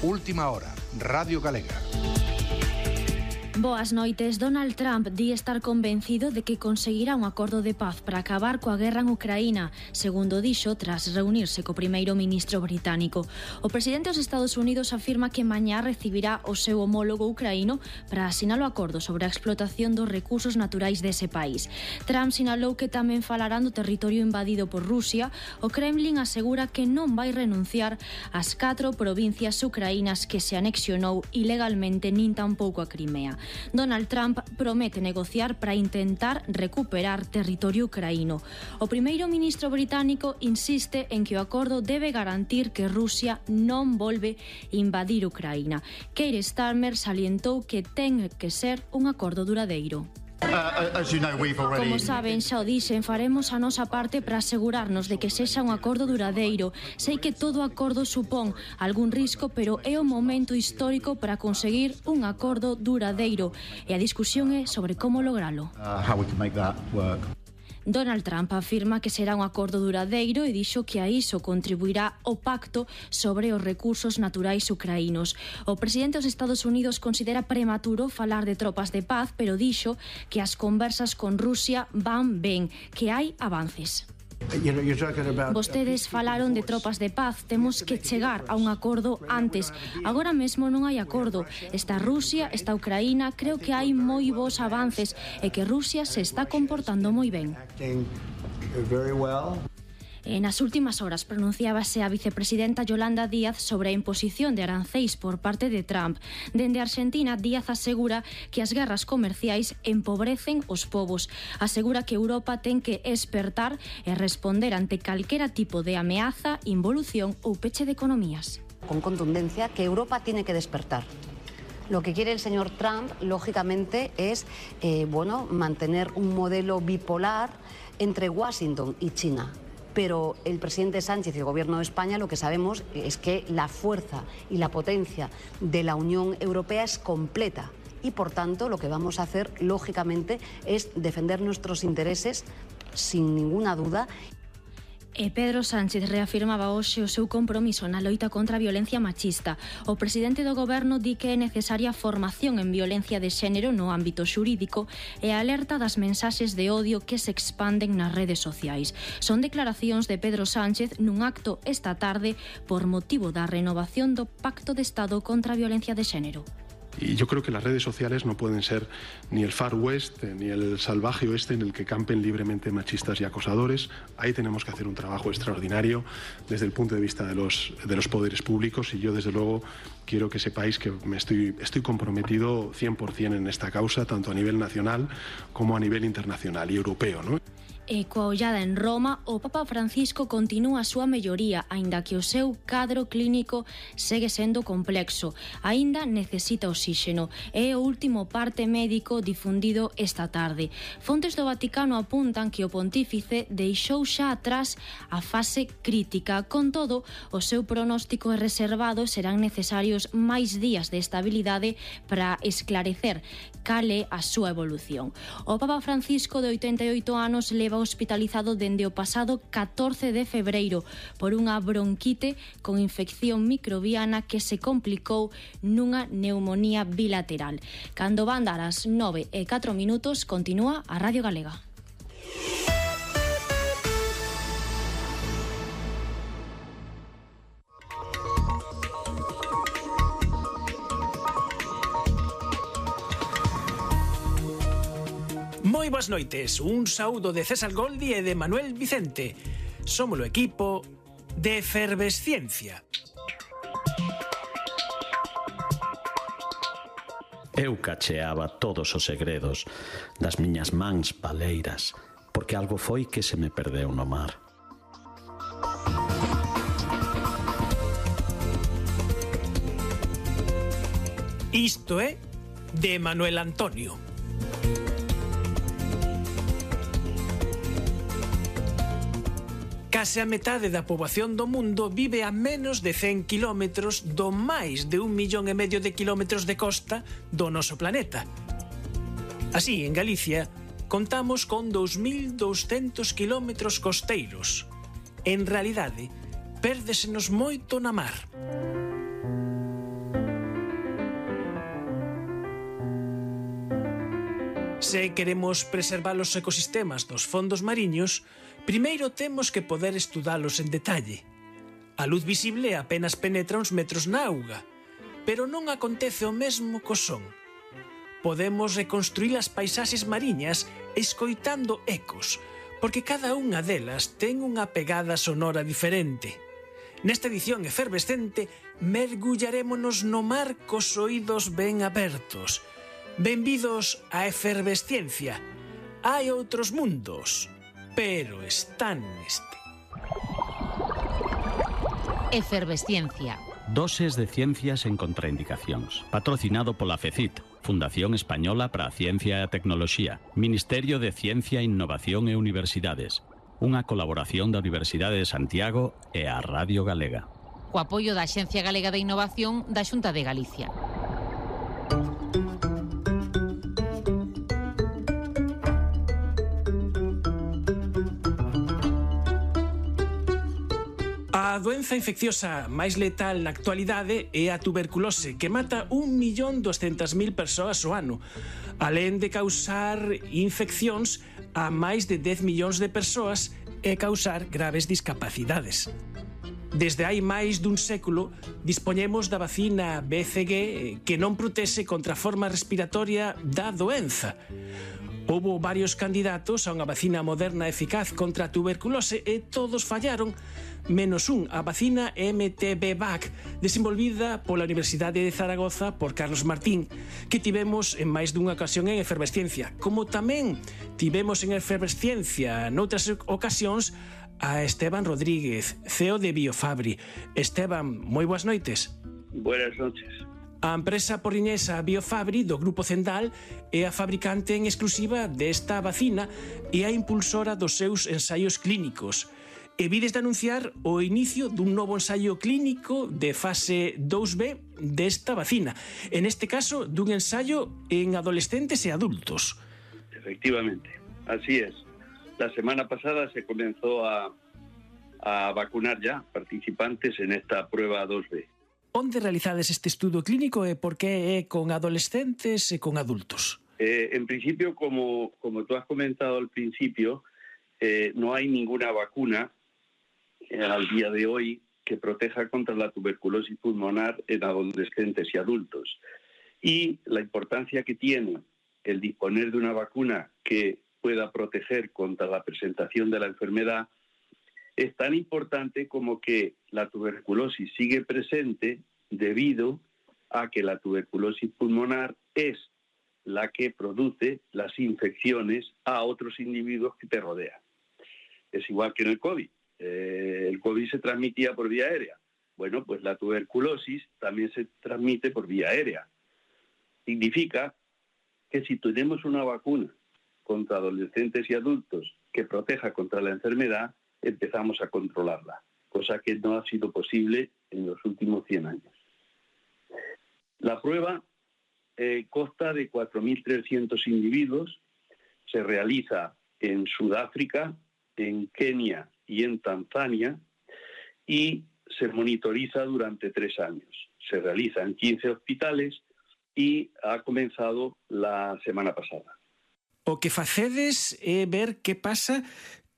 Última hora, Radio Galega. Boas noites. Donald Trump di estar convencido de que conseguirá un acordo de paz para acabar coa guerra en Ucraína, segundo dixo tras reunirse co primeiro ministro británico. O presidente dos Estados Unidos afirma que mañá recibirá o seu homólogo ucraíno para asinar o acordo sobre a explotación dos recursos naturais dese país. Trump sinalou que tamén falarán do territorio invadido por Rusia. O Kremlin asegura que non vai renunciar ás 4 provincias ucraínas que se anexionou ilegalmente nin tampouco a Crimea. Donald Trump promete negociar para intentar recuperar territorio ucraíno. O primeiro ministro británico insiste en que o acordo debe garantir que Rusia non volve invadir Ucraína. Keir Starmer salientou que ten que ser un acordo duradeiro. Como saben, xa o dixen, faremos a nosa parte para asegurarnos de que sexa un acordo duradeiro. Sei que todo acordo supón algún risco, pero é o momento histórico para conseguir un acordo duradeiro. E a discusión é sobre como logralo. Donald Trump afirma que será un acordo duradeiro e dixo que a iso contribuirá o pacto sobre os recursos naturais ucraínos. O presidente dos Estados Unidos considera prematuro falar de tropas de paz, pero dixo que as conversas con Rusia van ben, que hai avances. Vostedes falaron de tropas de paz. Temos que chegar a un acordo antes. Agora mesmo non hai acordo. Está Rusia, está Ucraína. Creo que hai moi bons avances e que Rusia se está comportando moi ben. Nas últimas horas pronunciábase a vicepresidenta Yolanda Díaz sobre a imposición de arancéis por parte de Trump. Dende Argentina, Díaz asegura que as guerras comerciais empobrecen os povos. Asegura que Europa ten que espertar e responder ante calquera tipo de ameaza, involución ou peche de economías. Con contundencia que Europa tiene que despertar. Lo que quiere el señor Trump, lógicamente, es mantener un modelo bipolar entre Washington y China. Pero el presidente Sánchez y el gobierno de España lo que sabemos es que la fuerza y la potencia de la Unión Europea es completa y por tanto lo que vamos a hacer lógicamente es defender nuestros intereses sin ninguna duda. Pedro Sánchez reafirmaba hoxe o seu compromiso na loita contra a violencia machista. O presidente do goberno di que é necesaria formación en violencia de xénero no ámbito xurídico e alerta das mensaxes de odio que se expanden nas redes sociais. Son declaracións de Pedro Sánchez nun acto esta tarde por motivo da renovación do Pacto de Estado contra a violencia de xénero. Y yo creo que las redes sociales no pueden ser ni el Far West ni el salvaje oeste en el que campen libremente machistas y acosadores. Ahí tenemos que hacer un trabajo extraordinario desde el punto de vista de los poderes públicos y yo desde luego quiero que sepáis que estoy comprometido 100% en esta causa, tanto a nivel nacional como a nivel internacional y europeo, ¿no? E coa ollada en Roma, o Papa Francisco continúa a súa melloría, aínda que o seu cadro clínico segue sendo complexo. Aínda necesita oxíxeno. É o último parte médico difundido esta tarde. Fontes do Vaticano apuntan que o pontífice deixou xa atrás a fase crítica. Con todo, o seu pronóstico é reservado e serán necesarios máis días de estabilidade para esclarecer cal é a súa evolución. O Papa Francisco, de 88 anos, leva hospitalizado dende o pasado 14 de febreiro por unha bronquite con infección microbiana que se complicou nunha neumonía bilateral. Cando van dar as 9:04, continúa a Radio Galega. Moi boas noites, un saúdo de César Goldi e de Manuel Vicente. Somos o equipo de Efervesciencia. Eu cacheaba todos os segredos das miñas mans baleiras, porque algo foi que se me perdeu no mar. Isto é de Manuel Antonio. Case a metade da poboación do mundo vive a menos de 100 kilómetros do máis de 1,5 millón de kilómetros de costa do noso planeta. Así, en Galicia, contamos con 2.200 kilómetros costeiros. En realidade, pérdsenos moito na mar. 9:15 Se queremos preservar os ecosistemas dos fondos mariños, primeiro temos que poder estudalos en detalle. A luz visible apenas penetra uns metros na auga, pero non acontece o mesmo co son. Podemos reconstruir as paisaxes mariñas escoitando ecos, porque cada unha delas ten unha pegada sonora diferente. Nesta edición efervescente, mergullarémonos no mar cos oídos ben abertos. Benvidos á efervesciencia. Hai outros mundos, pero están neste. Efervesciencia. Doses de ciencias en contraindicacións. Patrocinado pola FECIT, Fundación Española para a Ciencia e a Tecnoloxía, Ministerio de Ciencia, Innovación e Universidades. Unha colaboración da Universidade de Santiago e a Radio Galega. Co apoio da Axencia Galega de Innovación da Xunta de Galicia. A doenza infecciosa máis letal na actualidade é a tuberculose, que mata 1.200.000 persoas ao ano, alén de causar infeccións a máis de 10 millóns de persoas e causar graves discapacidades. Desde hai máis dun século dispoñemos da vacina BCG que non protexe contra a forma respiratoria da doenza. Houbo varios candidatos a unha vacina moderna eficaz contra a tuberculose e todos fallaron, menos un, a vacina MTB-VAC, desenvolvida pola Universidade de Zaragoza por Carlos Martín, que tivemos en máis dunha ocasión en Efervesciencia, como tamén tivemos en Efervesciencia noutras ocasións a Esteban Rodríguez, CEO de Biofabri. Esteban, moi boas noites. Buenas noches. A empresa porriñesa Biofabri do Grupo Zendal é a fabricante en exclusiva desta vacina e a impulsora dos seus ensaios clínicos. E vides de anunciar o inicio dun novo ensaio clínico de fase 2B desta vacina. En este caso, dun ensaio en adolescentes e adultos. Efectivamente, así es. La semana pasada se comenzó a vacunar ya participantes en esta prueba 2B. Onde realizades este estudo clínico e por que é con adolescentes e con adultos? En principio, como tú has comentado al principio, no hay ninguna vacuna al día de hoy que proteja contra la tuberculosis pulmonar en adolescentes y adultos. Y la importancia que tiene el disponer de una vacuna que pueda proteger contra la presentación de la enfermedad es tan importante como que la tuberculosis sigue presente debido a que la tuberculosis pulmonar es la que produce las infecciones a otros individuos que te rodean. Es igual que en el COVID. El COVID se transmitía por vía aérea. Bueno, pues la tuberculosis también se transmite por vía aérea. Significa que si tenemos una vacuna contra adolescentes y adultos que proteja contra la enfermedad, empezamos a controlarla, cosa que no ha sido posible en los últimos 100 años. La prueba consta de 4.300 individuos, se realiza en Sudáfrica, en Kenia y en Tanzania y se monitoriza durante 3 años. Se realiza en 15 hospitales y ha comenzado la semana pasada. O que facedes é ver que pasa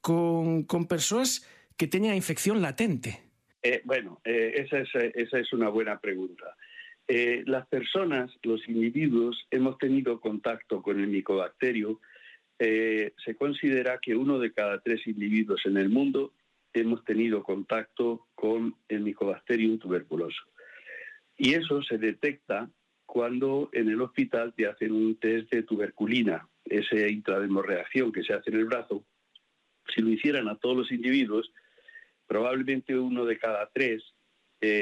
con persoas que teñan a infección latente. Esa es una buena pregunta. Las personas, los individuos, hemos tenido contacto con el micobacterio. Se considera que 1 de cada 3 individuos en el mundo hemos tenido contacto con el Mycobacterium tuberculoso. Y eso se detecta cuando en el hospital te hacen un test de tuberculina, esa intrademorreacción que se hace en el brazo. Si lo hicieran a todos los individuos, probablemente 1 de cada 3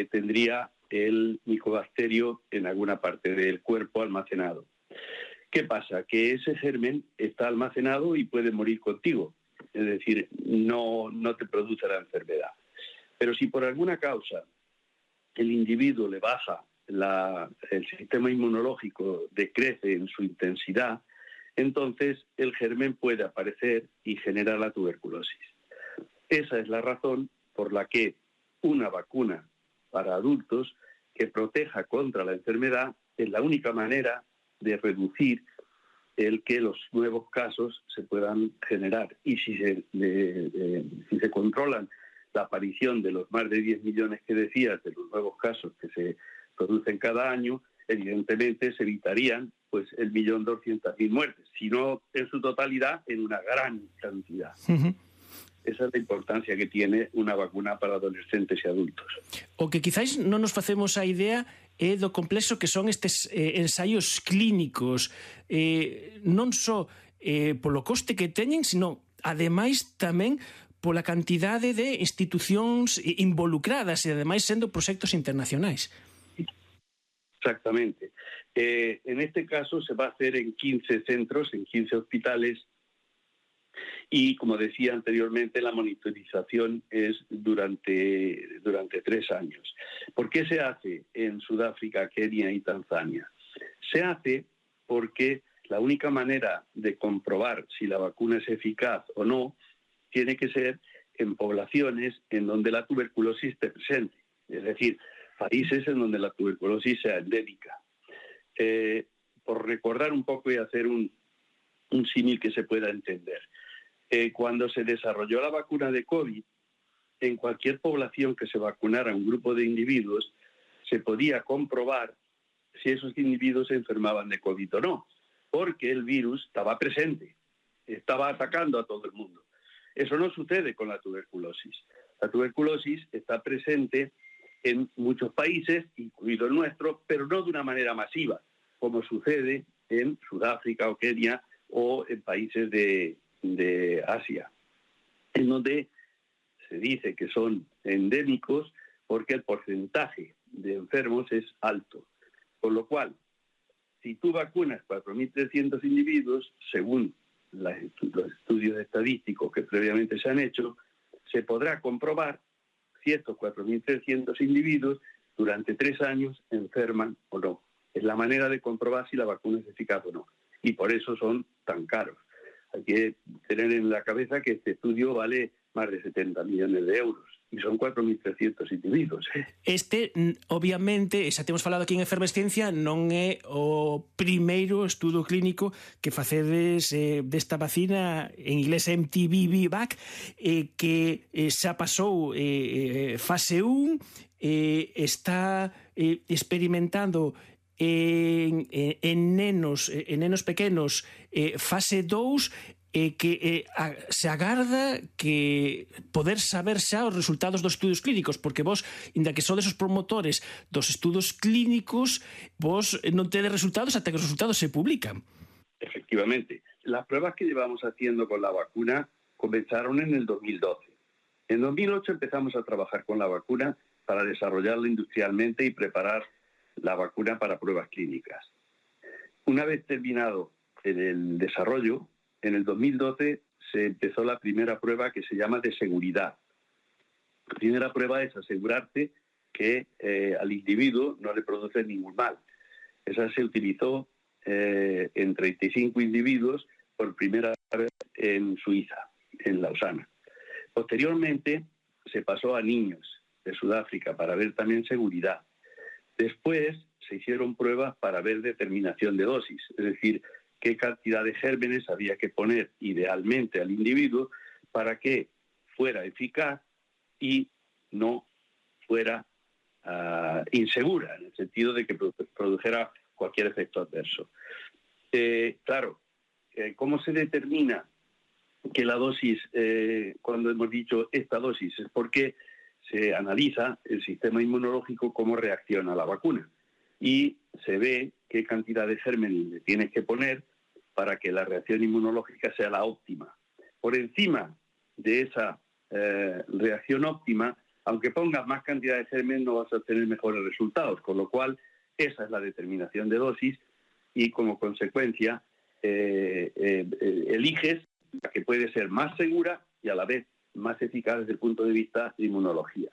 tendría el micobacterio en alguna parte del cuerpo almacenado. ¿Qué pasa? Que ese germen está almacenado y puede morir contigo. Es decir, no te produce la enfermedad. Pero si por alguna causa el individuo le baja el sistema inmunológico, decrece en su intensidad, entonces el germen puede aparecer y generar la tuberculosis. Esa es la razón por la que una vacuna para adultos que proteja contra la enfermedad es la única manera de reducir el que los nuevos casos se puedan generar. Y si se controlan la aparición de los más de 10 millones que decías, de los nuevos casos que se producen cada año, evidentemente se evitarían pues el 1.200.000 muertes, sino en su totalidad en una gran cantidad. Esa es la importancia que tiene una vacuna para adolescentes e adultos. O que quizáis non nos facemos a idea é do complexo que son estes ensaios clínicos, non só polo coste que teñen, sino ademais tamén pola cantidade de institucións involucradas e ademais sendo proxectos internacionais. Exactamente. En este caso se va a hacer en 15 centros, en 15 hospitales, y como decía anteriormente, la monitorización es durante 3 años. ¿Por qué se hace en Sudáfrica, Kenia y Tanzania? Se hace porque la única manera de comprobar si la vacuna es eficaz o no tiene que ser en poblaciones en donde la tuberculosis esté presente, es decir, países en donde la tuberculosis sea endémica. Por recordar un poco y hacer un símil que se pueda entender. Cuando se desarrolló la vacuna de COVID, en cualquier población que se vacunara un grupo de individuos, se podía comprobar si esos individuos se enfermaban de COVID o no, porque el virus estaba presente, estaba atacando a todo el mundo. Eso no sucede con la tuberculosis. La tuberculosis está presente en muchos países, incluido el nuestro, pero no de una manera masiva, como sucede en Sudáfrica o Kenia o en países de Asia, en donde se dice que son endémicos porque el porcentaje de enfermos es alto. Con lo cual, si tú vacunas 4.300 individuos, según los estudios estadísticos que previamente se han hecho, se podrá comprobar si estos 4.300 individuos durante 3 años enferman o no. Es la manera de comprobar si la vacuna es eficaz o no. Y por eso son tan caros. Hay que tener en la cabeza que este estudio vale más de 70 millones de euros e son 4.300 individuos. Obviamente, xa temos falado aquí en Efervesciencia, non é o primeiro estudo clínico que facedes desta vacina, en inglés MTV-VAC, que xa pasou fase 1, está experimentando en nenos pequenos fase 2, que se agarda que poder saber xa os resultados dos estudos clínicos, porque vos, inda que sodes os promotores dos estudos clínicos, vos non tedes resultados ata que os resultados se publican. Efectivamente. Las pruebas que llevamos haciendo con la vacuna comenzaron en el 2012. En 2008 empezamos a trabajar con la vacuna para desarrollarla industrialmente y preparar la vacuna para pruebas clínicas. Una vez terminado el desarrollo, en el 2012 se empezó la primera prueba que se llama de seguridad. La primera prueba es asegurarte que al individuo no le produce ningún mal. Esa se utilizó en 35 individuos por primera vez en Suiza, en Lausana. Posteriormente se pasó a niños de Sudáfrica para ver también seguridad. Después se hicieron pruebas para ver determinación de dosis, es decir, qué cantidad de gérmenes había que poner idealmente al individuo para que fuera eficaz y no fuera insegura, en el sentido de que produjera cualquier efecto adverso. Claro, ¿cómo se determina que la dosis, cuando hemos dicho esta dosis, es porque se analiza el sistema inmunológico cómo reacciona a la vacuna y se ve qué cantidad de gérmenes le tienes que poner para que la reacción inmunológica sea la óptima. Por encima de esa reacción óptima, aunque pongas más cantidad de gérmenes, no vas a obtener mejores resultados, con lo cual esa es la determinación de dosis y como consecuencia eliges la que puede ser más segura y a la vez más eficaz desde el punto de vista de inmunología.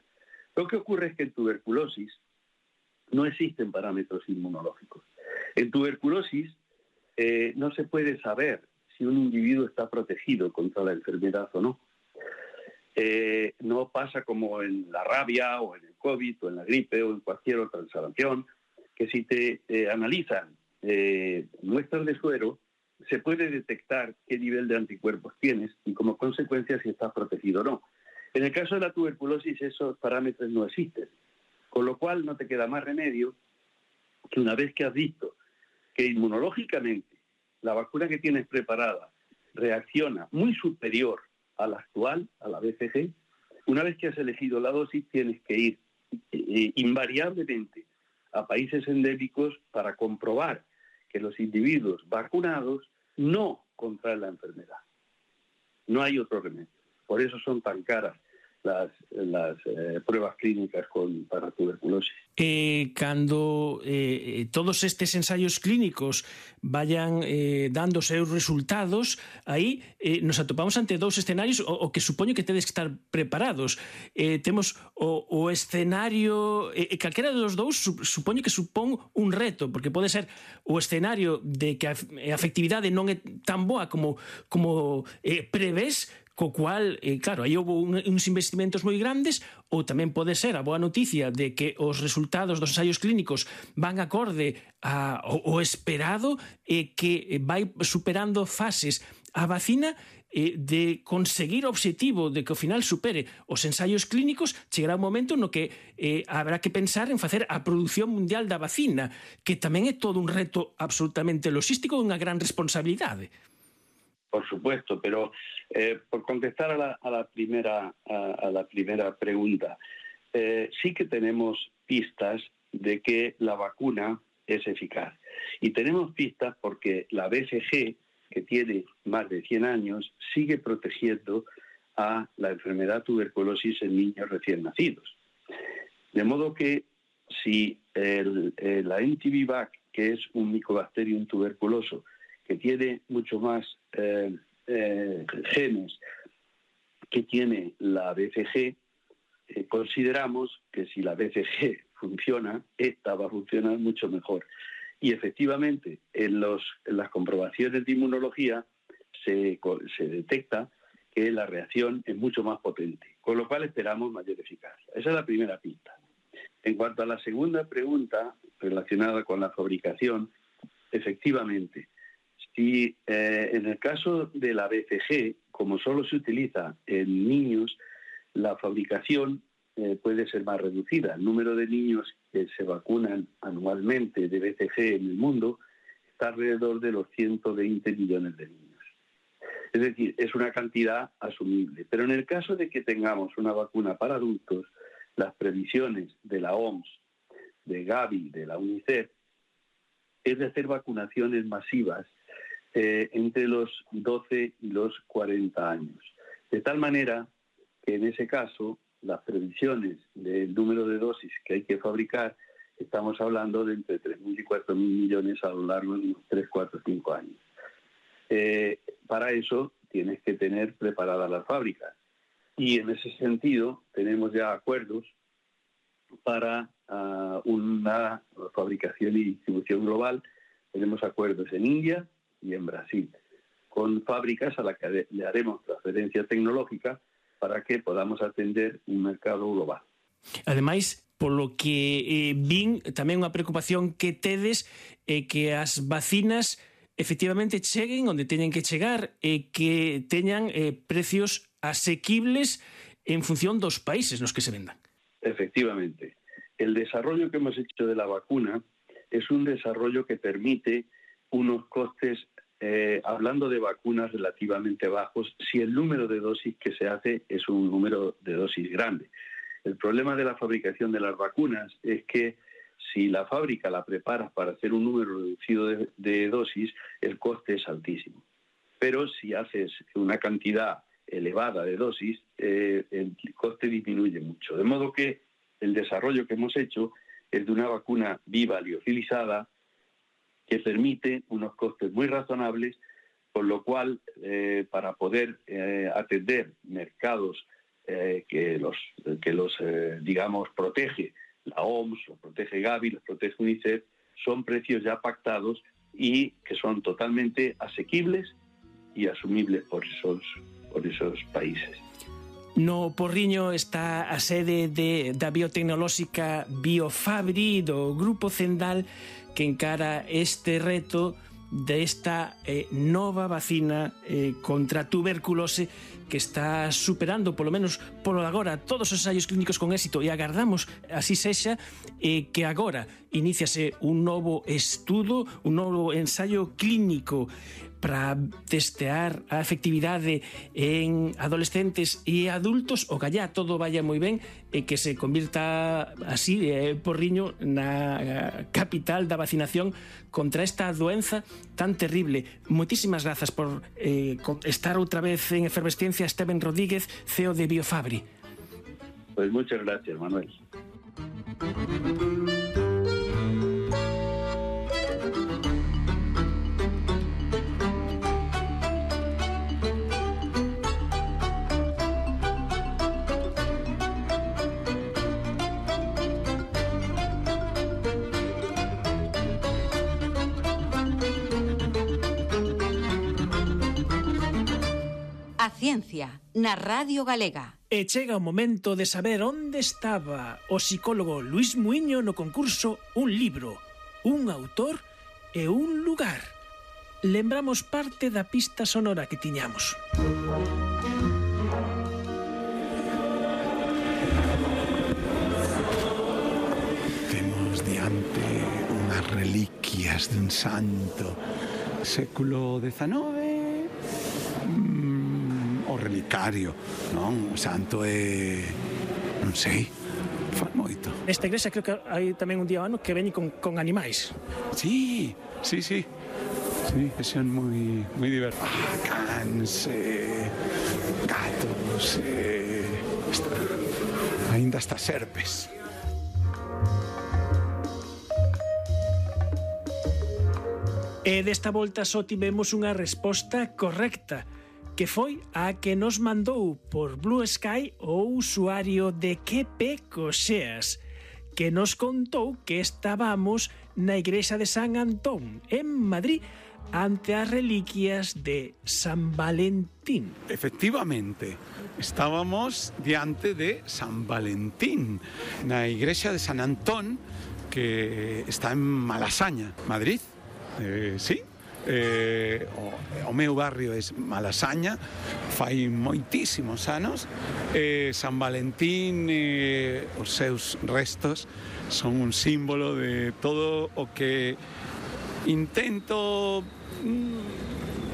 Lo que ocurre es que en tuberculosis no existen parámetros inmunológicos. En tuberculosis no se puede saber si un individuo está protegido contra la enfermedad o no. No pasa como en la rabia o en el COVID o en la gripe o en cualquier otra ensaladación, que si te analizan muestras de suero se puede detectar qué nivel de anticuerpos tienes y como consecuencia si estás protegido o no. En el caso de la tuberculosis esos parámetros no existen, con lo cual no te queda más remedio que una vez que has visto que inmunológicamente la vacuna que tienes preparada reacciona muy superior a la actual, a la BCG, una vez que has elegido la dosis tienes que ir invariablemente a países endémicos para comprobar que los individuos vacunados no contraen la enfermedad. No hay otro remedio. Por eso son tan caras las pruebas clínicas para tuberculosis. Cando todos estes ensaios clínicos vayan dando seus resultados, aí nos atopamos ante dous escenarios o que supoño que tedes que estar preparados. Temos o escenario, calquera dos dous supoño que supón un reto, porque pode ser o escenario de que a efectividade non é tan boa como prevés, co cual, claro, aí houve uns investimentos moi grandes, ou tamén pode ser a boa noticia de que os resultados dos ensaios clínicos van acorde ao esperado e que vai superando fases a vacina de conseguir o obxectivo de que ao final supere os ensaios clínicos. Chegará un momento no que habrá que pensar en facer a produción mundial da vacina, que tamén é todo un reto absolutamente logístico e unha gran responsabilidade. Por supuesto, pero por contestar a la primera pregunta, sí que tenemos pistas de que la vacuna es eficaz. Y tenemos pistas porque la BCG, que tiene más de 100 años, sigue protegiendo a la enfermedad tuberculosis en niños recién nacidos. De modo que si la NTB-VAC, que es un Mycobacterium tuberculoso, que tiene mucho más genes que tiene la BCG, consideramos que si la BCG funciona, esta va a funcionar mucho mejor. Y efectivamente, en las comprobaciones de inmunología se detecta que la reacción es mucho más potente, con lo cual esperamos mayor eficacia. Esa es la primera pista. En cuanto a la segunda pregunta relacionada con la fabricación, efectivamente, si en el caso de la BCG, como solo se utiliza en niños, la fabricación puede ser más reducida. El número de niños que se vacunan anualmente de BCG en el mundo está alrededor de los 120 millones de niños. Es decir, es una cantidad asumible. Pero en el caso de que tengamos una vacuna para adultos, las previsiones de la OMS, de Gavi, de la UNICEF, es de hacer vacunaciones masivas entre los 12 y los 40 años. De tal manera que en ese caso las previsiones del número de dosis que hay que fabricar, estamos hablando de entre 3.000 y 4.000 millones a lo largo de unos 3, 4, 5 años. Para eso tienes que tener preparadas las fábricas. Y en ese sentido tenemos ya acuerdos para una fabricación y distribución global. Tenemos acuerdos en India y en Brasil, con fábricas a las que le haremos transferencia tecnológica para que podamos atender un mercado global. Ademais, polo que vin, tamén unha preocupación que tedes é que as vacinas efectivamente cheguen onde teñen que chegar e que teñan precios asequibles en función dos países nos que se vendan. Efectivamente. El desarrollo que hemos hecho de la vacuna es un desarrollo que permite unos costes, hablando de vacunas relativamente bajos, si el número de dosis que se hace es un número de dosis grande. El problema de la fabricación de las vacunas es que si la fábrica la preparas para hacer un número reducido de dosis, el coste es altísimo. Pero si haces una cantidad elevada de dosis, el coste disminuye mucho. De modo que el desarrollo que hemos hecho es de una vacuna viva liofilizada que permite unos costes muy razonables, con lo cual, para poder atender mercados que los digamos, protege la OMS, los protege Gavi, los protege UNICEF, son precios ya pactados y que son totalmente asequibles y asumibles por esos países. No Porriño está a sede da biotecnolóxica Biofabri do Grupo Cendal, que encara este reto desta nova vacina contra a tuberculose que está superando, polo menos polo agora, todos os ensaios clínicos con éxito, e agardamos así sexa, que agora iníciase un novo estudo, un novo ensaio clínico para testear a efectividade en adolescentes e adultos, o que allá todo vaya moi ben e que se convirta así, Porriño, na capital da vacinación contra esta doenza tan terrible. Moitísimas grazas por estar outra vez en efervesciencia, Esteban Rodríguez, CEO de Biofabri. Pues muchas gracias, Manuel. A ciencia na Radio Galega. E chega o momento de saber onde estaba o psicólogo Luis Muiño no concurso Un libro, un autor e un lugar. Lembramos parte da pista sonora que tiñamos. Temos diante unhas reliquias dun santo século XIX, o relicario, non? O santo é... non sei, fai moito. Nesta igrexa creo que hai tamén un día ao ano que veñe con animais. Sí, sí, sí. Sí, que son moi divertidos. Cans, gatos, ainda hasta serpes. E desta volta só tivemos unha resposta correcta, que foi a que nos mandou por Blue Sky o usuario de QP Coxeas, que nos contou que estábamos na igrexa de San Antón, en Madrid, ante as reliquias de San Valentín. Efectivamente, estábamos diante de San Valentín, na igrexa de San Antón, que está en Malasaña, Madrid. Sí, o meu barrio é Malasaña, fai moitísimos anos. San Valentín, os seus restos son un símbolo de todo o que intento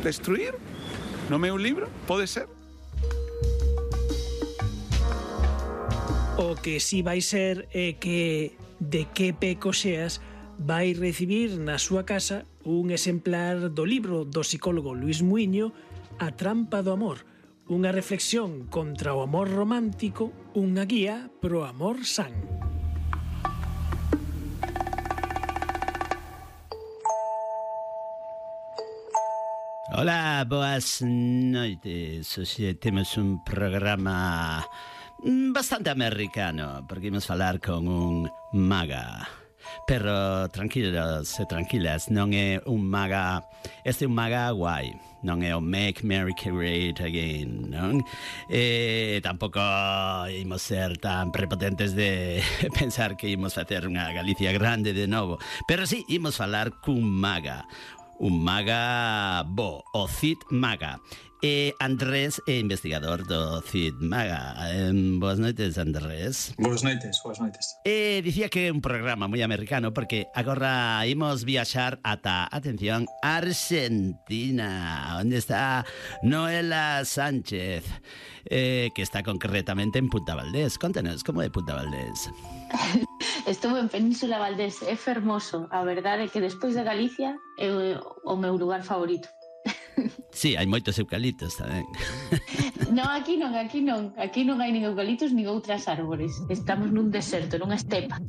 destruir no meu libro, pode ser? O que si vai ser é que de QP Coxeas vai recibir na súa casa un exemplar do libro do psicólogo Luis Muiño, A trampa do amor, unha reflexión contra o amor romántico, unha guía pro amor san. Hola, boas noites. Hoxe temos un programa bastante americano, porque imos falar con un maga. Pero tranquilos e tranquilas, non é un maga, este é un maga guai, non é o Make America Great Again, non? Tampouco imos ser tan prepotentes de pensar que imos facer unha Galicia grande de novo, pero sí, imos falar cun maga, un maga bo, o Cid Maga. Andrés é investigador do Cid Maga. Boas noites, Andrés. Boas noites, boas noites. Dicía que é un programa moi americano porque agora imos viaxar ata, atención, Argentina, onde está Noela Sánchez, que está concretamente en Punta Valdés. Contanos, como é Punta Valdés? Estuve en Península Valdés, é fermoso. A verdade é que despois de Galicia é o meu lugar favorito. Sí, hai moitos eucaliptos tamén. Non, aquí non. Aquí non hai nin eucaliptos nin outras árbores. Estamos nun deserto, nunha estepa.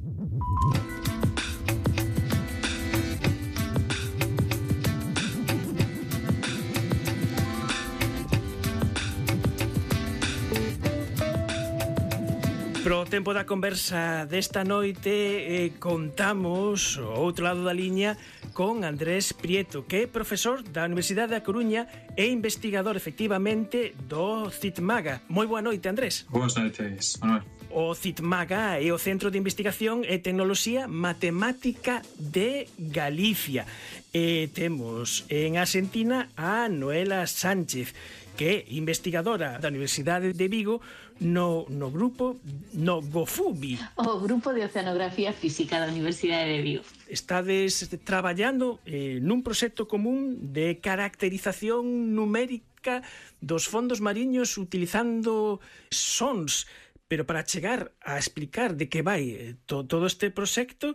Pro tempo da conversa desta noite contamos o outro lado da liña con Andrés Prieto, que é profesor da Universidade da Coruña e investigador efectivamente do Cid Maga. Moi boa noite, Andrés. Boas noites, Manuel. O CITMAGA é o Centro de Investigación e Tecnoloxía Matemática de Galicia. E temos en Argentina a Noela Sánchez, que é investigadora da Universidade de Vigo no grupo GOFUBI. O Grupo de Oceanografía Física da Universidade de Vigo. Estades traballando nun proxecto común de caracterización numérica dos fondos mariños utilizando sons, pero para chegar a explicar de que vai todo este proxecto,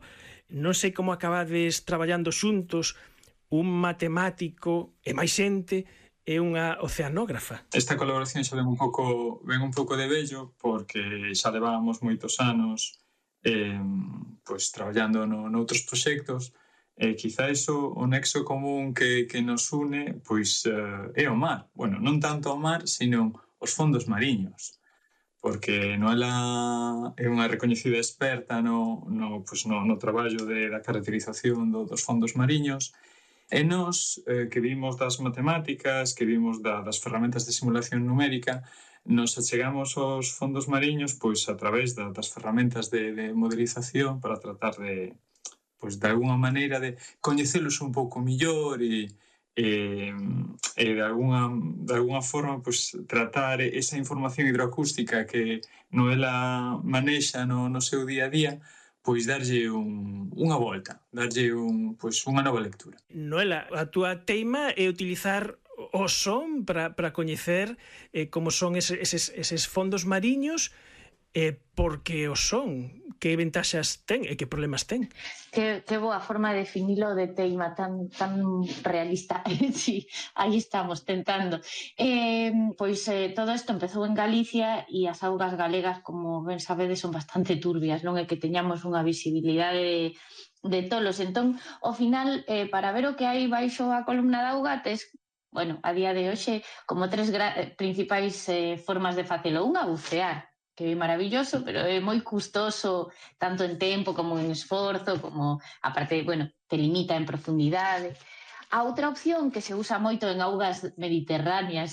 non sei como acabades traballando xuntos un matemático e máis xente é unha oceanógrafa. Esta colaboración xa ven un pouco de vello, porque xa levábamos moitos anos pois traballando noutros proxectos. Quizá o nexo común que nos une pois é o mar. Bueno, non tanto o mar, sino os fondos mariños, porque Noela é unha recoñecida experta no traballo da caracterización dos fondos mariños. E nós, que vimos das matemáticas, que vimos das ferramentas de simulación numérica, nos achegamos aos fondos mariños pois a través das ferramentas de modelización para tratar de alguna maneira de coñecelos un pouco mellor e de alguna forma pois tratar esa información hidroacústica que Noela manexa no seu día a día, pois darlle unha volta, darlle unha nova lectura. Noela, a túa teima é utilizar o son para coñecer como son eses fondos mariños, porque o son, que ventaxas ten e que problemas ten. Que boa forma de definilo de teima tan realista. Sí, aí estamos tentando. Todo isto empezou en Galicia e as augas galegas, como ben sabedes, son bastante turbias, non é que teñamos unha visibilidade de tolos. Entón, ao final, para ver o que hai baixo a columna de auga, tes, a día de hoxe, como tres principais formas de facelo. Unha, bucear, que é maravilloso, pero é moi custoso tanto en tempo como en esforzo, como aparte, te limita en profundidade. A outra opción que se usa moito en augas mediterráneas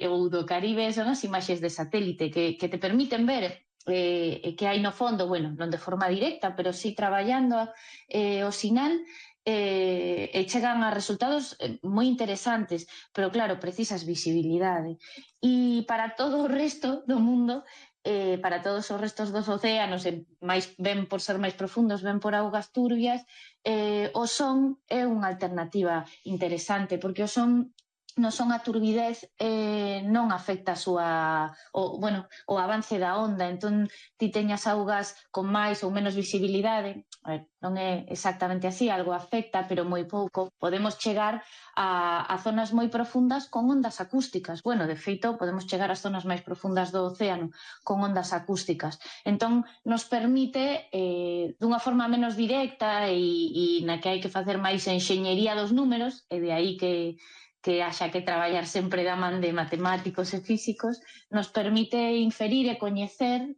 ou do Caribe son as imaxes de satélite que te permiten ver que hai no fondo, non de forma directa, pero sí traballando o sinal, e chegan a resultados moi interesantes, pero claro, precisas visibilidade. E para todo o resto do mundo, para todos os restos dos océanos, ben por ser máis profundos, ben por augas turbias, o son é unha alternativa interesante, porque o son a turbidez non afecta o avance da onda. Entón, ti teñas augas con máis ou menos visibilidade, non é exactamente así, algo afecta, pero moi pouco. Podemos chegar a zonas moi profundas con ondas acústicas. De feito, podemos chegar ás zonas máis profundas do océano con ondas acústicas. Entón, nos permite, dunha forma menos directa e na que hai que facer máis enxeñería dos números, e de aí que haxa que traballar sempre da man de matemáticos e físicos, nos permite inferir e coñecer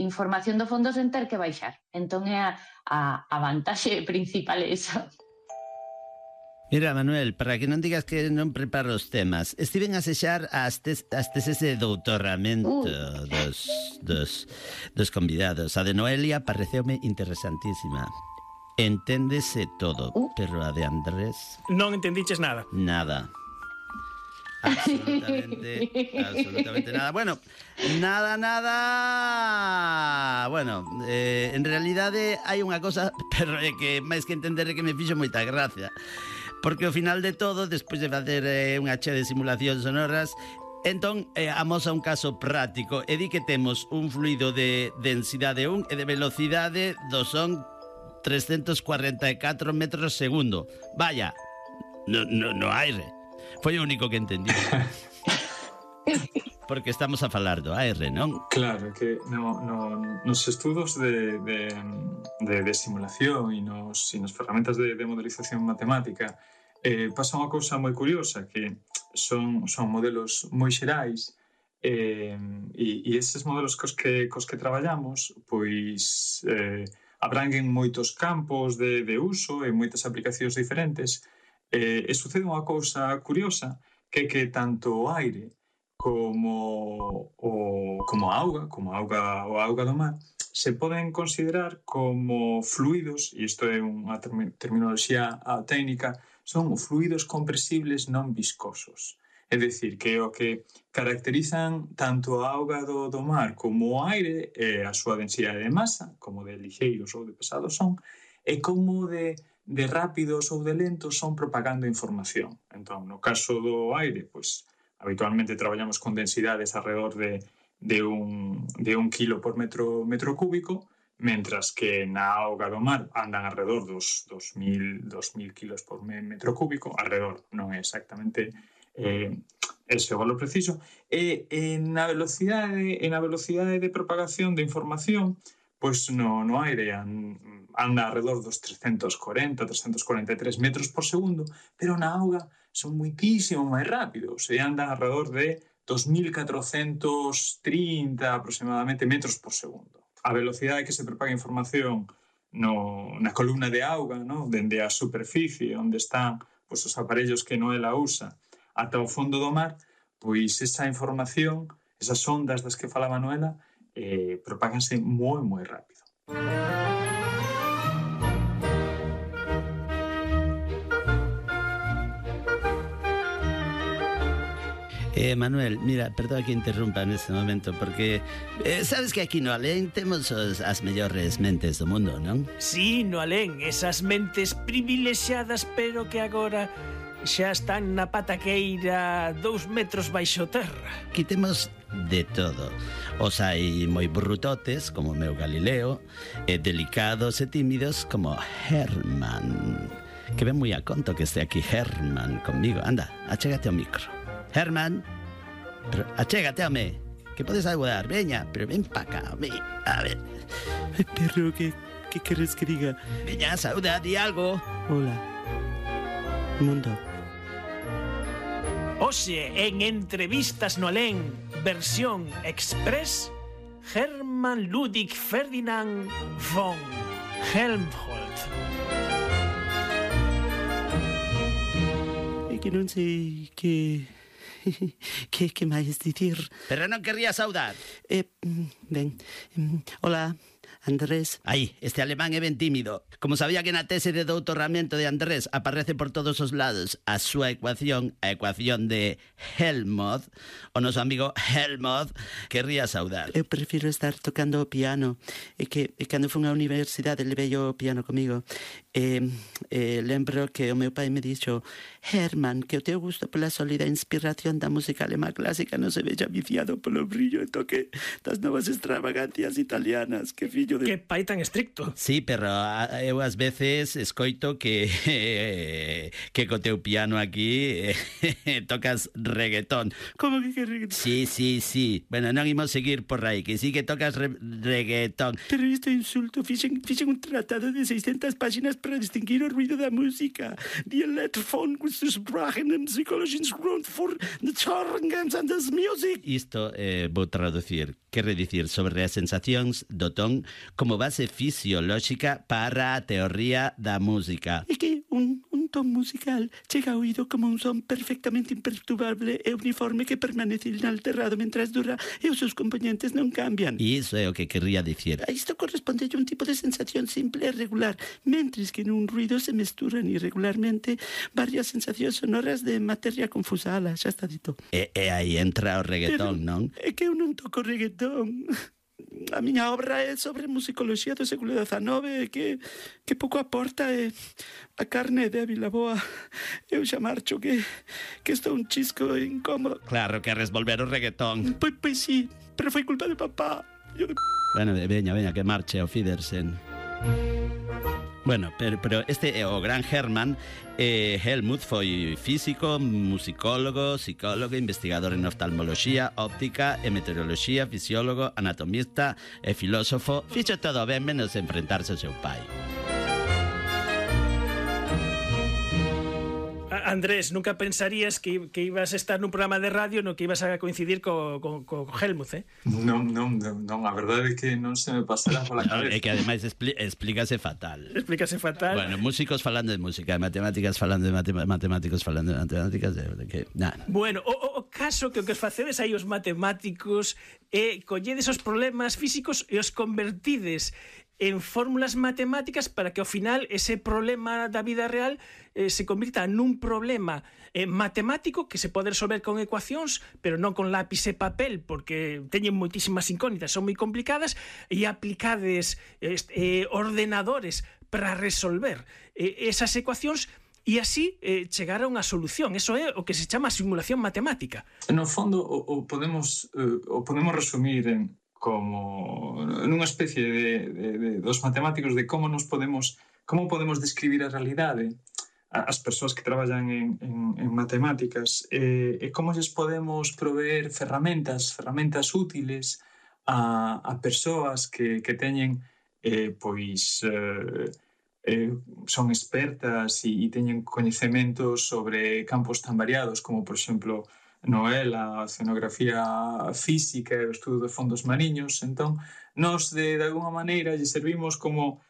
información do fondo sen ter que baixar. Entón é a vantaxe principal esa. Mira, Manuel, para que non digas que non preparo os temas, estiven a sexar as teses de doutoramento dos convidados. A de Noelia pareceume interesantísima. Enténdese todo, pero a de Andrés... Non entendiches nada. Nada. Absolutamente nada. Nada. En realidade hai unha cosa, pero é que máis que entender é que me fixo moita gracia. Porque ao final de todo, despois de facer unha chea de simulacións sonoras, entón amosa un caso práctico e di que temos un fluido de densidade 1 e de velocidade do son 344 metros segundo. Vaya, no aire. Foi o único que entendí. Porque estamos a falar do aire, non? Claro, que nos estudos de simulación e nas ferramentas de modelización matemática pasa unha cousa moi curiosa, que son modelos moi xerais, e esses modelos cos que traballamos pois abranguen moitos campos de uso e moitas aplicacións diferentes, e sucede unha cousa curiosa, que tanto o aire como a auga do mar, se poden considerar como fluidos, e isto é unha terminoloxía técnica, son fluidos compresibles non viscosos. É dicir, que o que caracterizan tanto a auga do mar como o aire é a súa densidade de masa, como de lixeiros ou de pesados son, e como de rápidos ou de lentos son propagando información. Entón, no caso do aire, pois, habitualmente traballamos con densidades alrededor de un kilo por metro cúbico, mentras que na auga do mar andan alrededor dos 2.000 kilos por metro cúbico, alrededor, non é exactamente ese o valor preciso, e na velocidade de propagación de información, pois no aire anda alrededor dos 343 metros por segundo, pero na auga son muitísimo máis rápidos, e andan alrededor de 2.430 aproximadamente metros por segundo. A velocidade que se propaga a información na columna de auga, dende a superficie onde están os aparellos que Noela usa ata o fondo do mar, pois esa información, esas ondas das que falaba Noela, propáganse moi, moi rápido. Manuel, mira, perdón que interrumpa neste momento, porque sabes que aquí no Alén temos as mellores mentes do mundo, non? Sí, no Alén, esas mentes privilexiadas, pero que agora xa están na pataqueira 2 metros baixo terra. Aquí temos de todo. Os hai moi brutotes, como o meu Galileo, e delicados e tímidos, como Herman. Que ven moi a conto que este aquí Herman conmigo. Anda, achégate ao micro. Herman, pero achégate a mí, que podes ayudar, veña, pero ven pa cá, a ver. Pero, ¿qué queres que diga? Veña, saúda, di algo. Hola, mundo. Oxe, en Entrevistas no Alén, versión express, Hermann Ludwig Ferdinand von Helmholtz. É que non sei que máis dicir. Pero non querría saudar. Ben, hola, Andrés. Aí, este alemán é ben tímido. Como sabía que na tese de doutoramento de Andrés aparece por todos os lados a súa ecuación, a ecuación de Helmholtz, o noso amigo Helmholtz querría saudar. Eu prefiro estar tocando o piano. E que cando fun á universidade levei o piano comigo. Lembro que o meu pai me dixo: Herman, que o teu gusto pola sólida inspiración da música alemá clásica non se vexa viciado polo brillo e toque das novas extravagancias italianas. Que fillo de... Que pai tan estricto. Sí, pero eu ás veces escoito que co teu piano aquí tocas reggaetón. Como que reggaetón? Sí. Bueno, non imos seguir por aí, que sí que tocas reggaetón. Pero isto é insulto. Fixen un tratado de 600 páxinas para distinguir o ruido da música. Die Lettfon with the Sprachen and Psychologins Grund for the Charngens and the Music. Isto vou traducir. Quere dicir sobre as sensacións do ton como base fisiolóxica para a teoría da música. É que un ton musical chega ao oído como un son perfectamente imperturbable e uniforme que permanece inalterado mentras dura e os seus componentes non cambian. E iso é o que querría dicir. A isto corresponde a un tipo de sensación simple e regular, mentres que nun ruido se mesturan irregularmente varias sensacións sonoras de materia confusa. Ala, xa está dito. E aí entra o reggaetón, non? É que eu non toco reggaetón. A miña obra é sobre musicoloxía do século XIX que pouco aporta e a carne é débil, a boa. Eu xa marcho que estou un chisco incómodo. Claro, queres volver o reggaetón. Pois sí, pero foi culpa de papá. Bueno, veña, que marche ao Fidersen. Bueno, pero este é o gran Hermann. Helmut foi físico, musicólogo, psicólogo, investigador en oftalmoloxía, óptica e meteoroloxía, fisiólogo, anatomista e filósofo. Fixo todo ben menos enfrentarse ao seu pai. Andrés, nunca pensarías que ibas a estar nun programa de radio no que ibas a coincidir co Helmut, Non, a verdade é que non se me pasará pola cabeza. É que ademais explícase fatal. Explícase fatal. Bueno, músicos falando de música, matemáticas falando de matemáticos falando de matemáticas, que nada. Bueno, o caso que os facedes aí os matemáticos é colledes os problemas físicos e os convertides en fórmulas matemáticas para que ao final ese problema da vida real se convirta nun problema matemático que se pode resolver con ecuacións, pero non con lápiz e papel, porque teñen moitísimas incógnitas, son moi complicadas, e aplicades ordenadores para resolver esas ecuacións e así chegar a unha solución. Eso é o que se chama simulación matemática. No fondo, o podemos resumir como nunha especie de dos matemáticos de como podemos describir a realidade as persoas que traballan en matemáticas e como lles podemos proveer ferramentas útiles a persoas que teñen son expertas e teñen coñecementos sobre campos tan variados como, por exemplo, a oceanografía física e o estudo de fondos mariños. Entón, nós de alguna maneira lle servimos como,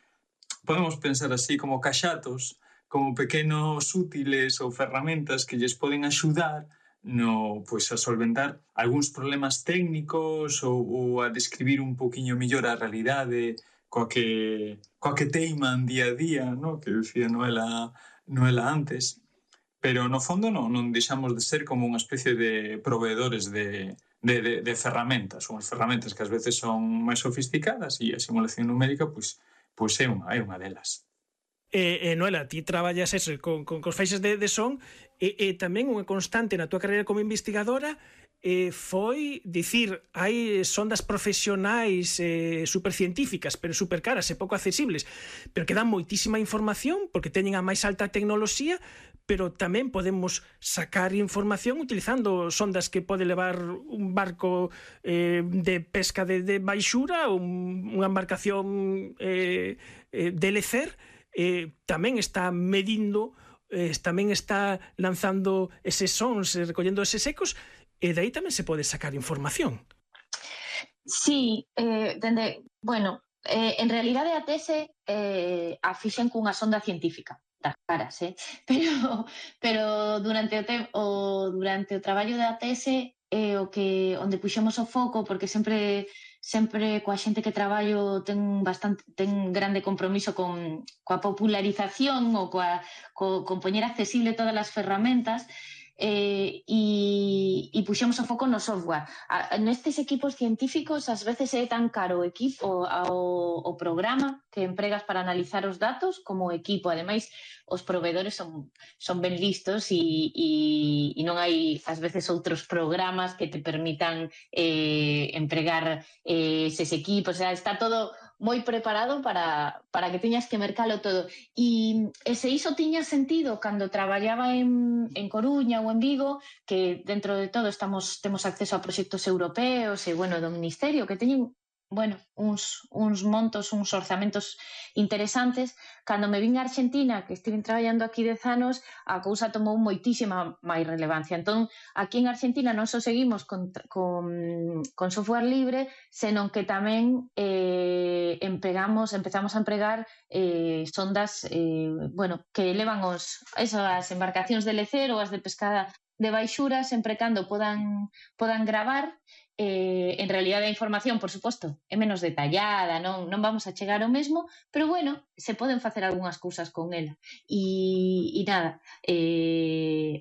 podemos pensar así, como caxatos, como pequenos útiles ou ferramentas que lles poden axudar a solventar algúns problemas técnicos ou a describir un poquinho mellor a realidade coa que teiman día a día, que decía Noela antes. Pero no fondo non deixamos de ser como unha especie de proveedores de ferramentas, unhas ferramentas que ás veces son máis sofisticadas e a simulación numérica pois é unha delas. Noela, ti traballas con os feixes de son e tamén unha constante na túa carreira como investigadora foi dicir, hai sondas profesionais supercientíficas, pero supercaras e pouco accesibles, pero que dan moitísima información porque teñen a máis alta tecnoloxía, pero tamén podemos sacar información utilizando sondas que pode levar un barco de pesca de baixura, unha embarcación de lecer, tamén está medindo, tamén está lanzando eses sons, recollendo eses ecos, e de aí tamén se pode sacar información. Sí, en realidade a tese a fixen cunha sonda científica das caras, pero durante o traballo da tese onde puxemos o foco, porque sempre coa xente que traballo ten grande compromiso coa popularización ou con poñer accesible todas as ferramentas, e puxemos o foco no software. Nestes equipos científicos ás veces é tan caro o programa que empregas para analizar os datos como o equipo. Ademais, os proveedores son ben listos e non hai ás veces outros programas que te permitan empregar eses equipos. O sea, está todo moi preparado para que teñas que mercalo todo. E se iso tiña sentido cando traballaba en Coruña ou en Vigo, que dentro de todo temos acceso a proxectos europeos e, do Ministerio, que teñen uns montos, uns orzamentos interesantes. Cando me vin a Argentina, que estive traballando aquí 10 anos, a cousa tomou moitísima máis relevancia. Entón, aquí en Argentina non só seguimos con software libre, senón que tamén empezamos a empregar sondas que elevan as embarcacións de lecer ou as de pescada de baixura, sempre cando podan gravar. En realidade a información, por suposto, é menos detallada, non vamos a chegar ao mesmo, pero se poden facer algunhas cousas con ela. E nada,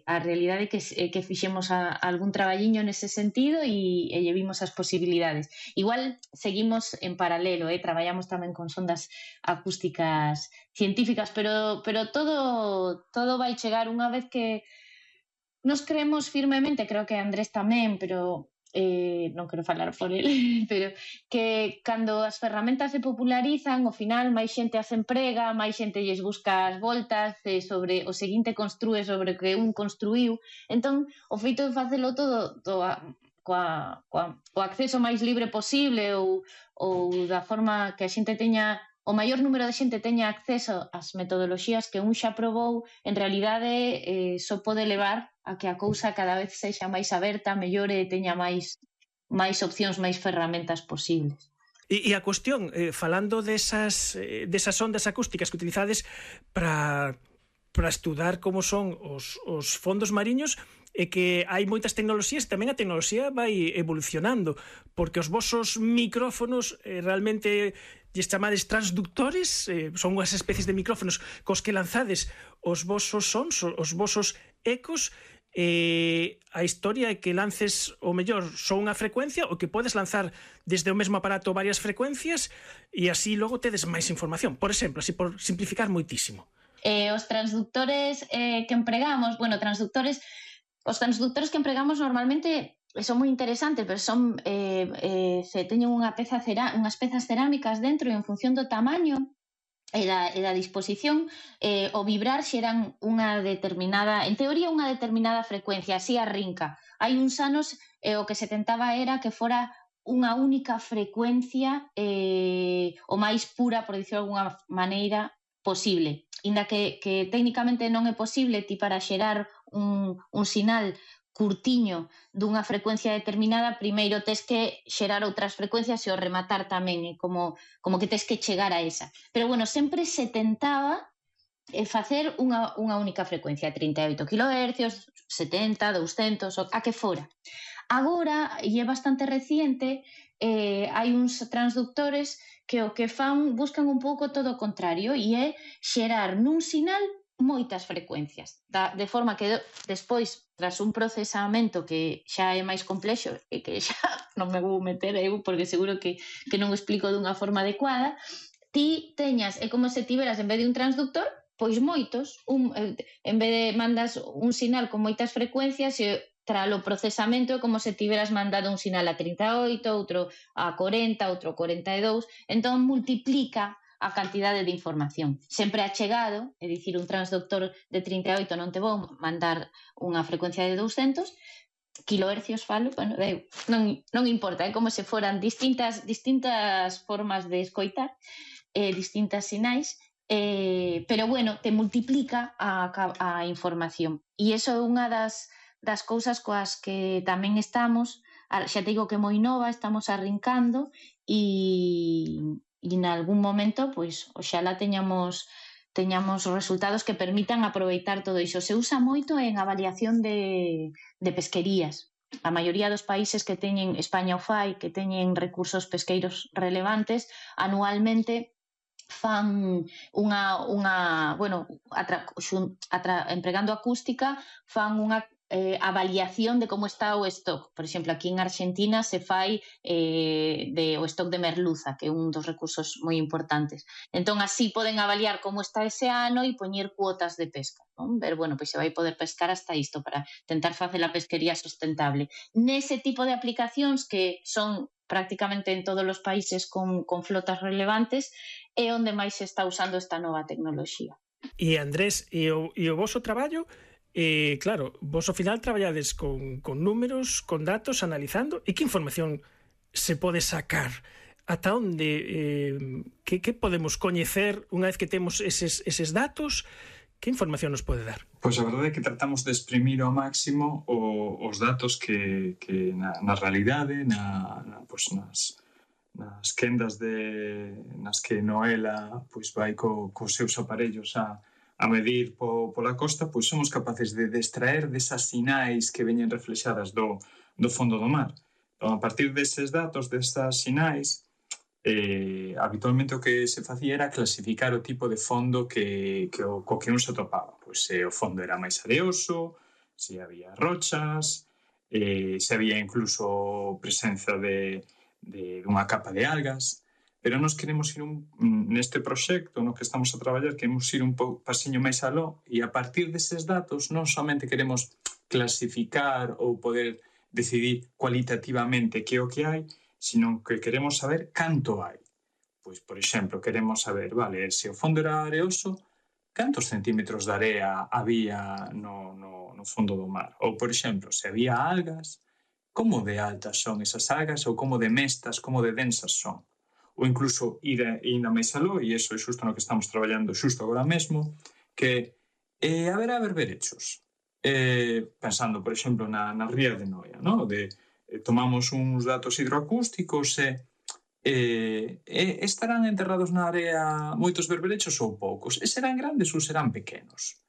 a realidade é que fixemos algún traballiño nese sentido e lle vimos as posibilidades. Igual seguimos en paralelo, traballamos tamén con sondas acústicas científicas, pero todo vai chegar unha vez que nos creemos firmemente, creo que Andrés tamén, pero non quero falar por ele, pero que cando as ferramentas se popularizan, ao final máis xente as emprega, máis xente lles busca as voltas, sobre o seguinte construe sobre o que un construíu. Entón, o feito de facelo todo coa acceso máis libre posible ou da forma que a xente teña o maior número de xente teña acceso ás metodoloxías que un xa probou, en realidade só pode levar a que a cousa cada vez sexa máis aberta, mellore e teña máis opcións, máis ferramentas posibles. E a cuestión, falando desas ondas acústicas que utilizades para estudar como son os fondos mariños, é que hai moitas tecnoloxías, tamén a tecnoloxía vai evolucionando, porque os vosos micrófonos realmente lles chamades transductores, son unhas especies de micrófonos cos que lanzades os vosos sons, os vosos ecos. A historia é que lances o mellor só unha frecuencia ou que podes lanzar desde o mesmo aparato varias frecuencias e así logo tedes máis información. Por exemplo, así por simplificar moitísimo. Os transductores que empregamos, os transductores que empregamos normalmente son moi interesantes, pero son se teñen unhas pezas cerámicas dentro e en función do tamaño e da disposición, o vibrar xeran unha determinada, en teoría unha determinada frecuencia, así arrinca. Hai uns anos o que se tentaba era que fora unha única frecuencia o máis pura, por dicirlo de alguna maneira, posible. Inda que técnicamente non é posible ti para xerar un sinal curtiño dunha frecuencia determinada, primeiro tes que xerar outras frecuencias e o rematar tamén, como que tes que chegar a esa. Pero bueno, sempre se tentaba facer unha única frecuencia, 38 kHz, 70, 200, a que fora. Agora, e é bastante reciente, hai uns transductores que o que buscan un pouco todo o contrario, e é xerar nun sinal moitas frecuencias, de forma que despois, tras un procesamento que xa é máis complexo e que xa non me vou meter eu, porque seguro que non o explico dunha forma adecuada, ti teñas, é como se tiveras en vez de un transductor, pois moitos, en vez de mandas un sinal con moitas frecuencias e tras o procesamento é como se tiveras mandado un sinal a 38, outro a 40, outro a 42, entón multiplica a cantidade de información. Sempre achegado, é dicir, un transductor de 38 non te vou mandar unha frecuencia de 200 kHz, falo, bueno, non importa, é como se foran distintas formas de escoitar, distintas sinais, pero bueno, te multiplica a información. E iso é unha das cousas coas que tamén estamos, xa te digo que moi nova, estamos arrincando e en algún momento, pois, oxalá teñamos resultados que permitan aproveitar todo iso. Se usa moito en avaliación de pesquerías. A maioría dos países que teñen, España o fai, que teñen recursos pesqueiros relevantes, anualmente fan empregando acústica, fan unha avaliación de como está o stock. Por exemplo, aquí en Argentina se fai o stock de merluza, que é un dos recursos moi importantes. Entón, así poden avaliar como está ese ano e poñer cuotas de pesca, non? Ver, bueno, pois se vai poder pescar hasta isto para tentar facer a pesquería sustentable. Nese tipo de aplicacións que son prácticamente en todos os países con flotas relevantes, é onde máis se está usando esta nova tecnoloxía. E Andrés, e o voso traballo, claro, vos ao final traballades con números, con datos, analizando, e que información se pode sacar? Ata onde, que podemos coñecer unha vez que temos eses datos? Que información nos pode dar? Pois a verdade é que tratamos de exprimir ao máximo os datos que na realidade, nas quendas nas que Noela pois vai cos seus aparellos a medir pola costa, pois somos capaces de extraer desas sinais que veñen reflexadas do fondo do mar. Entón, a partir deses datos, desas sinais, habitualmente o que se facía era clasificar o tipo de fondo co que un se topaba. Pois se o fondo era máis areoso, se había rochas, se había incluso presenza dunha capa de algas. Pero nós queremos ir neste proxecto no que estamos a traballar, queremos ir un pasiño máis aló e a partir deses datos non somente queremos clasificar ou poder decidir cualitativamente que é o que hai, sino que queremos saber canto hai. Pois, por exemplo, queremos saber, vale, se o fondo era areoso, cantos centímetros de area había no fondo do mar? Ou, por exemplo, se había algas, como de altas son esas algas ou como de mestas, como de densas son? ou incluso ir ainda máis aló, e iso é xusto no que estamos traballando xusto agora mesmo, que haberá berberechos. Pensando, por exemplo, na ría de Noia, ¿no? Tomamos uns datos hidroacústicos e estarán enterrados na area moitos berberechos ou poucos? E serán grandes ou serán pequenos?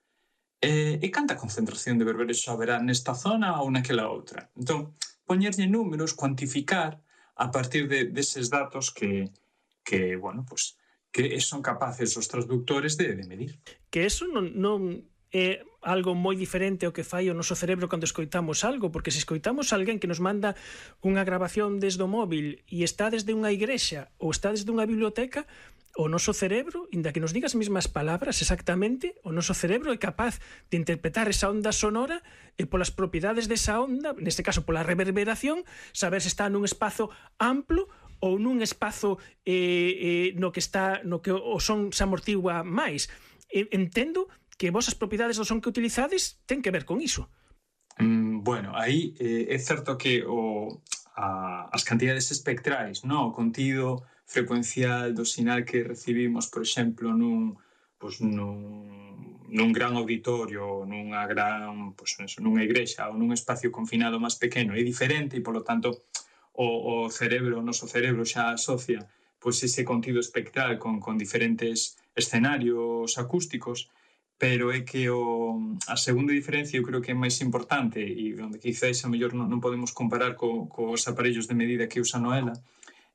E canta concentración de berberechos haberá nesta zona ou naquela outra? Entón, poñerlle números, cuantificar a partir deses datos que bueno, pues, que son capaces os transductores de medir. Que eso non é algo moi diferente ao que fai o noso cerebro cando escoitamos algo, porque se escoitamos alguén que nos manda unha grabación desde o móvil e está desde unha igrexa ou está desde unha biblioteca, o noso cerebro, inda que nos diga as mesmas palabras exactamente, o noso cerebro é capaz de interpretar esa onda sonora e polas propiedades desa onda, neste caso pola reverberación, saber se está nun espazo amplo ou nun espazo no que o son se amortigua máis. Entendo que vos as propiedades do son que utilizades ten que ver con iso. Bueno, aí é certo que as cantidades espectrais, o contido frecuencial do sinal que recibimos, por exemplo, nun gran auditorio, nunha igrexa ou nun espacio confinado máis pequeno é diferente e, polo tanto, o noso cerebro xa asocia ese contido espectral con diferentes escenarios acústicos, pero é que a segunda diferencia eu creo que é máis importante e onde quizás a mellor non podemos comparar cos aparellos de medida que usa Noela,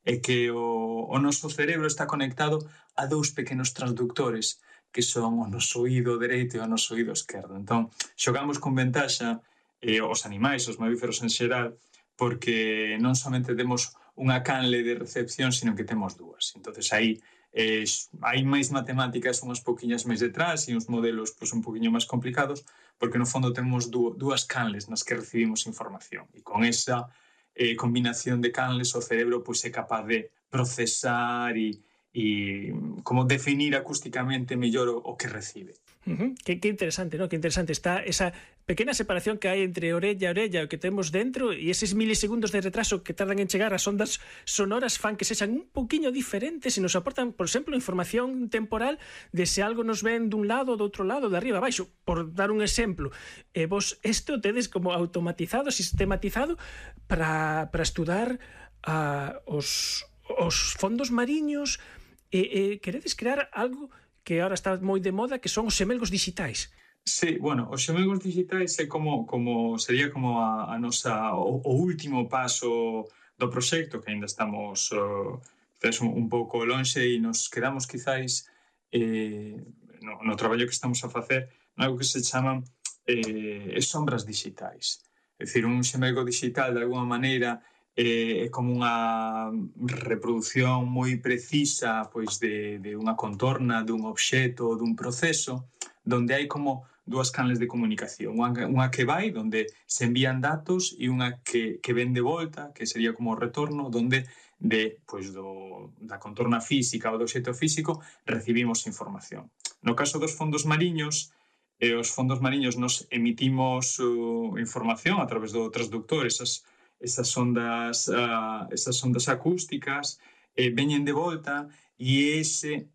é que o noso cerebro está conectado a dous pequenos transductores que son o noso oído dereito e o noso oído esquerdo. Entón, xogamos con ventaxa os animais, os mamíferos en xeral, porque non somente temos unha canle de recepción, sino que temos dúas. Entonces, aí hai máis matemáticas unhas poquinhas máis detrás e uns modelos un poquinho máis complicados, porque no fondo temos dúas canles nas que recibimos información. E con esa combinación de canles o cerebro é capaz de procesar e como definir acústicamente mellor o que recibe. Que interesante, ¿no? Que interesante está esa pequena separación que hai entre orella a orella o que temos dentro e eses milisegundos de retraso que tardan en chegar as ondas sonoras fan que sexan un poquinho diferentes e nos aportan, por exemplo, información temporal de se algo nos ven dun lado, do outro lado, de arriba a baixo, por dar un exemplo. Vos isto tedes como automatizado, sistematizado para estudar os fondos mariños e queredes crear algo que ahora está moi de moda, que son os xemelgos digitais. Sí, bueno, os xemelgos digitais é sería como a nosa o último paso do proxecto, que ainda estamos un pouco lonxe e nos quedamos quizás no traballo que estamos a facer algo que se chaman sombras digitais. É dicir, un xemelgo digital de alguma maneira é como unha reproducción moi precisa de unha contorna, dun obxeto, dun proceso, donde hai como dúas canles de comunicación. Unha que vai, donde se envían datos, e unha que ven de volta, que sería como o retorno, donde da contorna física ou do obxeto físico recibimos información. No caso dos fondos mariños, os fondos mariños nos emitimos información a través do transductor, esas ondas acústicas veñen de volta e ese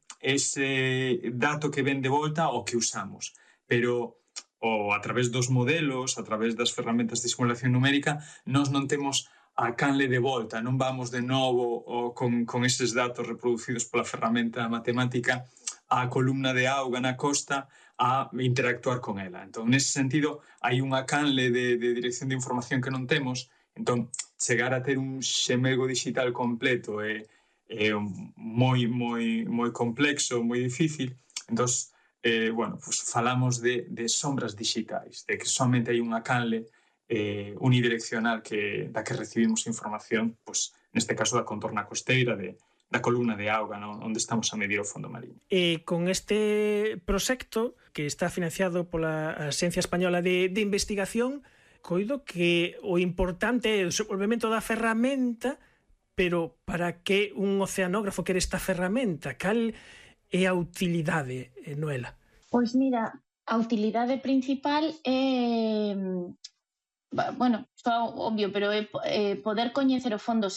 dato que ven de volta o que usamos. Pero a través dos modelos, a través das ferramentas de simulación numérica, nós non temos a canle de volta, non vamos de novo con eses datos reproducidos pola ferramenta matemática á columna de auga na costa a interactuar con ela. Entón, nese sentido, hai unha canle de dirección de información que non temos. Entón, chegar a ter un xemelgo digital completo é moi complexo, moi difícil. Entón, falamos de sombras digitais, de que somente hai unha canle unidireccional da que recibimos información, neste caso da contorna costeira, da columna de auga, onde estamos a medir o fondo mariño. E con este proxecto, que está financiado pola Axencia Española de Investigación, coido que o importante é o desenvolvemento da ferramenta, pero para que un oceanógrafo quere esta ferramenta? Cal é a utilidade, Noela? Pois mira, a utilidade principal é, bueno, só obvio, pero é poder coñecer o fondo.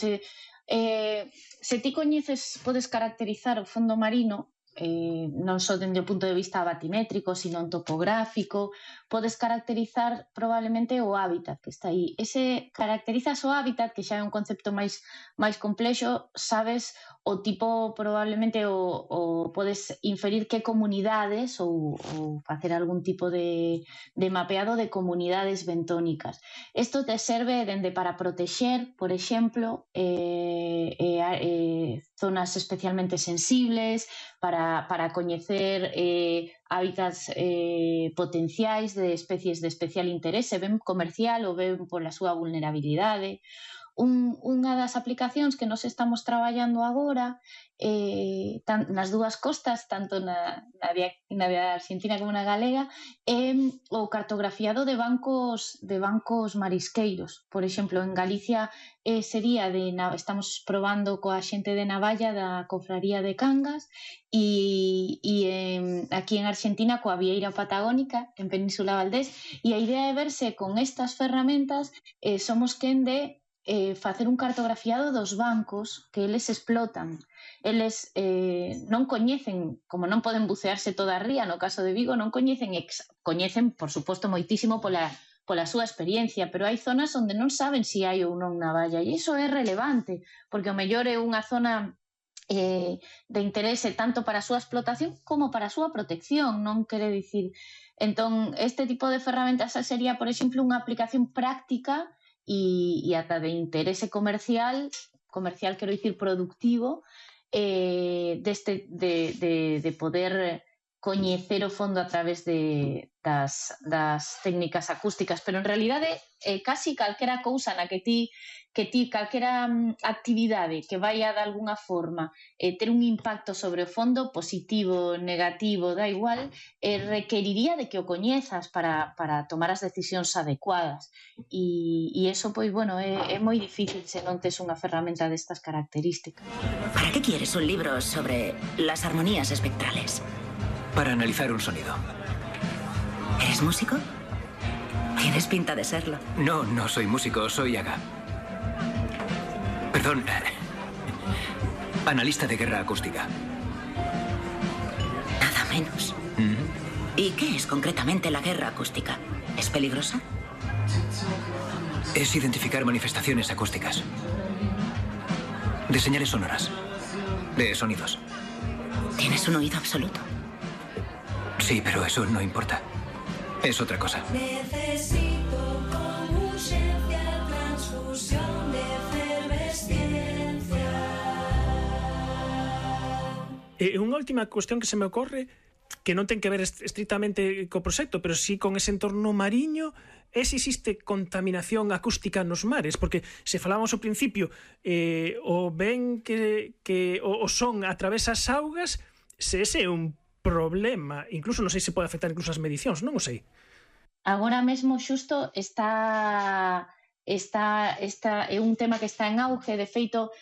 se ti coñeces, podes caracterizar o fondo marino, non só dende o punto de vista batimétrico, sino topográfico, podes caracterizar probablemente o hábitat que está aí. Caracterizas o hábitat, que xa é un concepto máis complexo, sabes o tipo, probablemente, o podes inferir que comunidades ou facer algún tipo de mapeado de comunidades bentónicas. Isto te serve dende para protexer, por exemplo, zonas especialmente sensibles, para coñecer hábitats potenciais de especies de especial interese, ben comercial ou ben pola súa vulnerabilidade. Unha das aplicacións que nos estamos traballando agora nas dúas costas, tanto na argentina como na galega, é o cartografiado de bancos marisqueiros. Por exemplo, en Galicia estamos probando coa xente de Navalla da Cofraría de Cangas e aquí en Argentina coa Vieira Patagónica en Península Valdés, e a idea é verse con estas ferramentas somos quen de facer un cartografiado dos bancos que eles explotan. Eles non coñecen, como non poden bucearse toda a ría, no caso de Vigo, non coñecen, por suposto, moitísimo pola súa experiencia, pero hai zonas onde non saben se hai ou non navalla, e iso é relevante, porque o mellor é unha zona de interese tanto para a súa explotación como para a súa protección, non quere dicir. Entón, este tipo de ferramentas sería, por exemplo, unha aplicación práctica e ata de interese comercial, quero dicir productivo, de poder coñecer o fondo a través das técnicas acústicas, pero en realidade casi calquera cousa na que ti calquera actividade que vaya de alguna forma ter un impacto sobre o fondo, positivo, negativo, da igual, requeriría de que o coñezas para tomar as decisións adecuadas, e eso, pois, bueno, é moi difícil se non tes unha ferramenta destas características. ¿Para qué quieres un libro sobre las armonías espectrales? Para analizar un sonido. ¿Eres músico? Tienes pinta de serlo. No, no soy músico, soy Aga. Perdón. Analista de guerra acústica. Nada menos. ¿Y qué es concretamente la guerra acústica? ¿Es peligrosa? Es identificar manifestaciones acústicas. De señales sonoras. De sonidos. ¿Tienes un oído absoluto? Sí, pero eso no importa. Es otra cosa. Necesito con urgencia transfusión de efervesciencia. Unha última cuestión que se me ocorre, que non ten que ver estritamente co proxecto, pero sí con ese entorno mariño, é se existe contaminación acústica nos mares, porque se falábamos ao principio o ben que o son a través das augas, se ese é un problema, incluso non sei se pode afectar incluso as medicións, non o sei. Agora mesmo xusto está é un tema que está en auge, de feito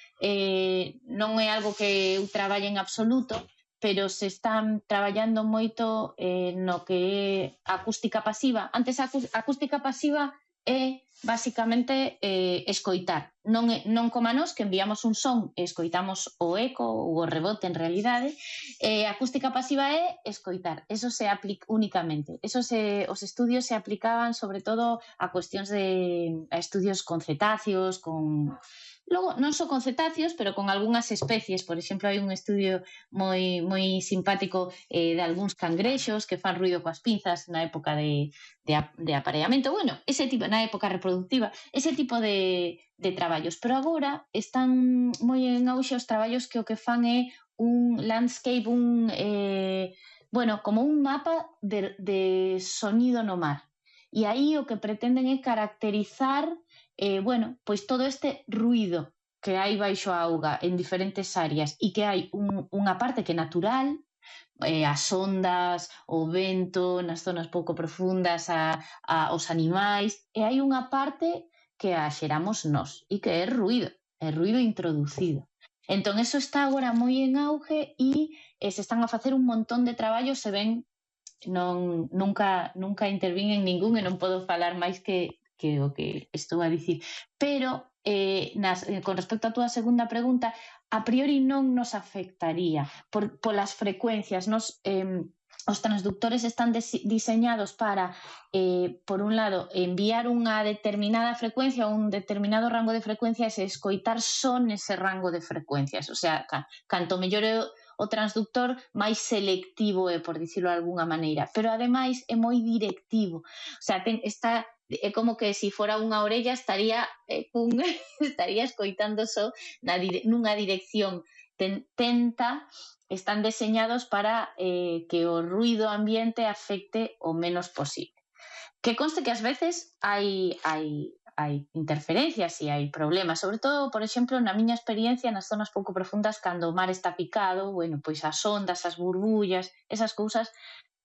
non é algo que eu traballe en absoluto, pero se están traballando moito no que é acústica pasiva. Antes a acústica pasiva é basicamente escoitar, non como a nós que enviamos un son e escoitamos o eco ou o rebote en realidade. Acústica pasiva é escoitar, eso se aplica únicamente, os estudios se aplicaban sobre todo a cuestións a estudios con cetáceos, logo non só con cetáceos, pero con algunhas especies. Por exemplo, hai un estudio moi simpático de algúns cangrexos que fan ruido coas pinzas na época de apareamento. Bueno, ese tipo, na época reproductiva, ese tipo de traballos. Pero agora están moi en auxe os traballos que o que fan é un landscape, como un mapa de sonido no mar. E aí o que pretenden é caracterizar pois todo este ruido que hai baixo a auga en diferentes áreas, e que hai unha parte que é natural, as ondas, o vento nas zonas pouco profundas, os animais, e hai unha parte que a xeramos nós e que é ruido introducido. Entón, eso está agora moi en auge e se están a facer un montón de traballos. Se ven, nunca intervín en ningún e non podo falar máis que o que estou a dicir, pero con respecto á túa segunda pregunta, a priori non nos afectaría polas frecuencias. Os transductores están diseñados para, por un lado, enviar unha determinada frecuencia ou un determinado rango de frecuencias e escoitar só nese rango de frecuencias. O sea, canto mellor é o transductor, máis selectivo é, por dicirlo de alguna maneira. Pero, ademais, é moi directivo. O sea, é como que se fora unha orella estaría escoitando só nunha dirección. Están deseñados para que o ruido ambiente afecte o menos posible. Que conste que ás veces hai interferencias e hai problemas, sobre todo, por exemplo, na miña experiencia nas zonas pouco profundas, cando o mar está picado, bueno, pois as ondas, as burbullas, esas cousas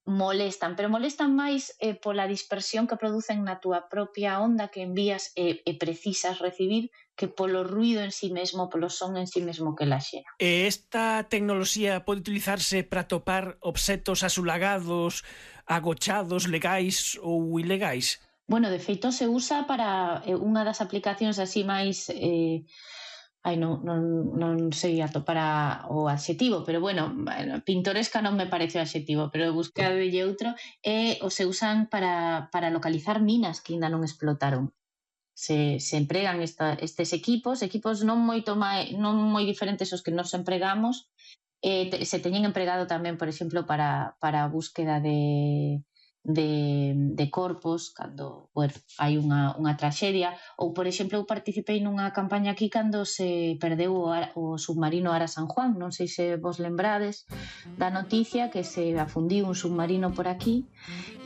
molestan, pero molestan máis pola dispersión que producen na túa propia onda que envías e precisas recibir, que polo ruido en sí mesmo, polo son en sí mesmo que la xera. Esta tecnoloxía pode utilizarse para topar obxectos asulagados, agochados, legais ou ilegais? Bueno, de feito se usa para unha das aplicacións así máis... non sei atopar o adxetivo, pero bueno, pintoresca non me parece o adxetivo, pero buscadelle outro, o se usan para localizar minas que ainda non explotaron. Se empregan estes equipos non moi diferentes aos que nos empregamos, se teñen empregado tamén, por exemplo, para a búsqueda de corpos cando hai unha traxedia, ou, por exemplo, eu participei nunha campaña aquí cando se perdeu o submarino Ara San Juan. Non sei se vos lembrades da noticia que se afundiu un submarino por aquí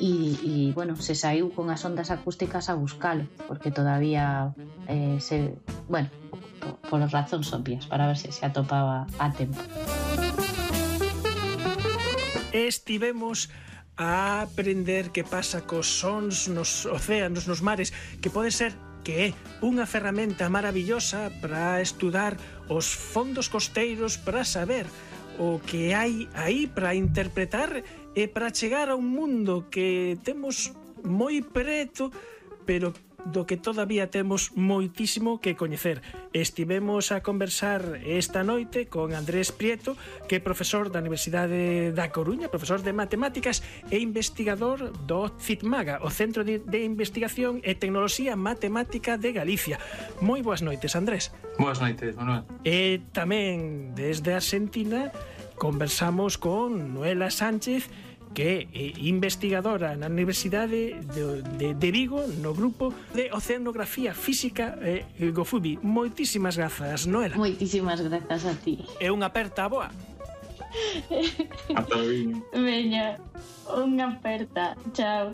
e bueno, se saiu con as ondas acústicas a buscalo, porque todavía por razóns obvias, para ver se atopaba a tempo. Estivemos a aprender que pasa cos sons nos océanos, nos mares, que pode ser que é unha ferramenta maravillosa para estudar os fondos costeiros, para saber o que hai aí, para interpretar e para chegar a un mundo que temos moi preto, pero do que todavía temos moitísimo que coñecer. Estivemos a conversar esta noite con Andrés Prieto, que é profesor da Universidade da Coruña, profesor de matemáticas e investigador do CITMAGA, o Centro de Investigación e Tecnoloxía Matemática de Galicia. Moi boas noites, Andrés. Boas noites, Manuel. E tamén desde Argentina conversamos con Noela Sánchez, que é investigadora na Universidade de Vigo, no grupo de Oceanografía Física GOFUBI. Moitísimas grazas, Noela. Moitísimas grazas a ti. E unha aperta boa. Veña, unha aperta. Chao.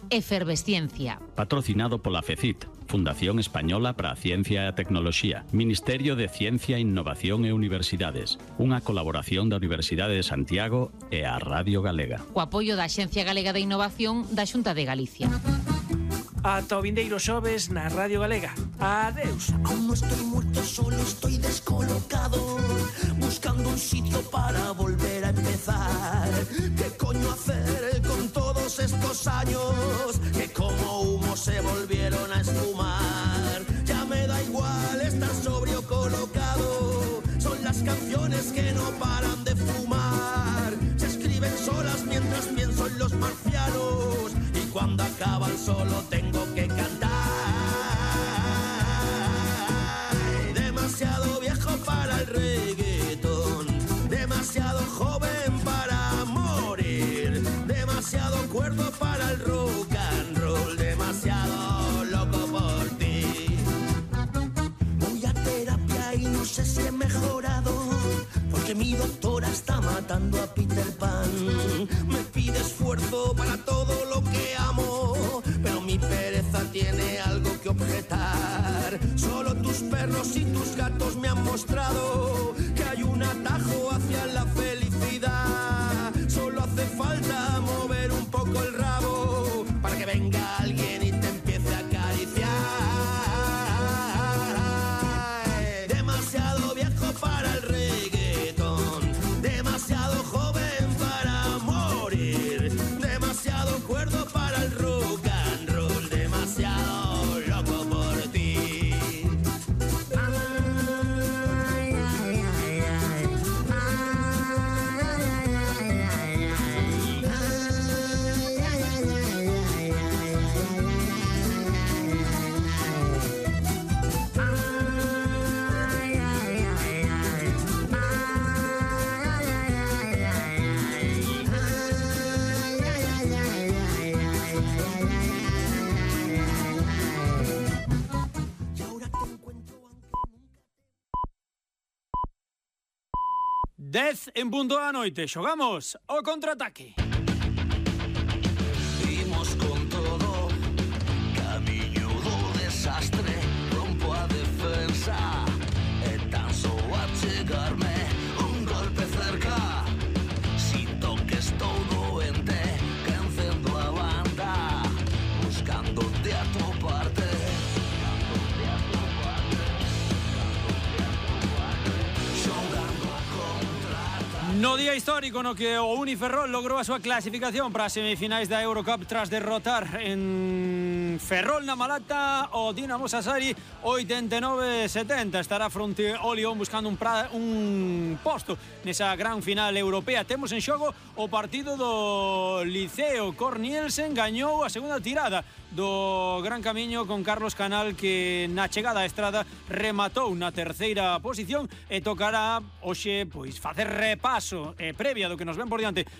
Efervesciencia. Patrocinado pola FECIT, Fundación Española para a Ciencia e a Tecnoloxía, Ministerio de Ciencia, Innovación e Universidades, unha colaboración da Universidade de Santiago e a Radio Galega. O apoio da Axencia Galega de Innovación da Xunta de Galicia. Ata o vindeiro xoves na Radio Galega. Adeus. Aún no estoy muerto, solo estoy descolocado, buscando un sitio para volver a empezar. ¿Qué coño hacer con todos estos años que como humo se volvieron a esfumar? Ya me da igual estar sobrio colocado, son las canciones que no paran de fumar. Se escriben solas mientras pienso en los marcianos y cuando acaban solo tengo que cantar. Demasiado viejo para el reggaetón, demasiado joven para morir, demasiado cuerdo para el rock and roll, demasiado loco por ti. Voy a terapia y no sé si he mejorado, porque mi doctora está matando a Peter Pan. Me pide esfuerzo para todo lo que amo, pero mi pereza tiene algo que objetar. Solo tus perros y tus gatos me han mostrado que hay un atajo hacia la felicidad. Solo hace falta mover un poco el rabo para que venga alguien y te empiece a acariciar. Demasiado viejo para el reggaetón, demasiado joven para morir, demasiado cuerdo para el rock and roll, demasiado loco por ti. 10 en punto da noite. Xogamos o contraataque. Imos con todo, camiño do desastre, rompo a defensa e tan só a chegarme un golpe cerca. Si toques estou doente, que encendo a banda, buscándote a toparte. No día histórico no que o Uniferrol logrou a súa clasificación para as semifinais da Eurocup tras derrotar en Ferrol na Malata o Dinamo Sassari 89-70. Estará fronte ao Lyon buscando un posto nesa gran final europea. Temos en xogo o partido do Liceo. Cornielsen gañou a segunda tirada do Gran Camiño con Carlos Canal, que na chegada á Estrada rematou na terceira posición e tocará hoxe pois facer repaso previa do que nos ven por diante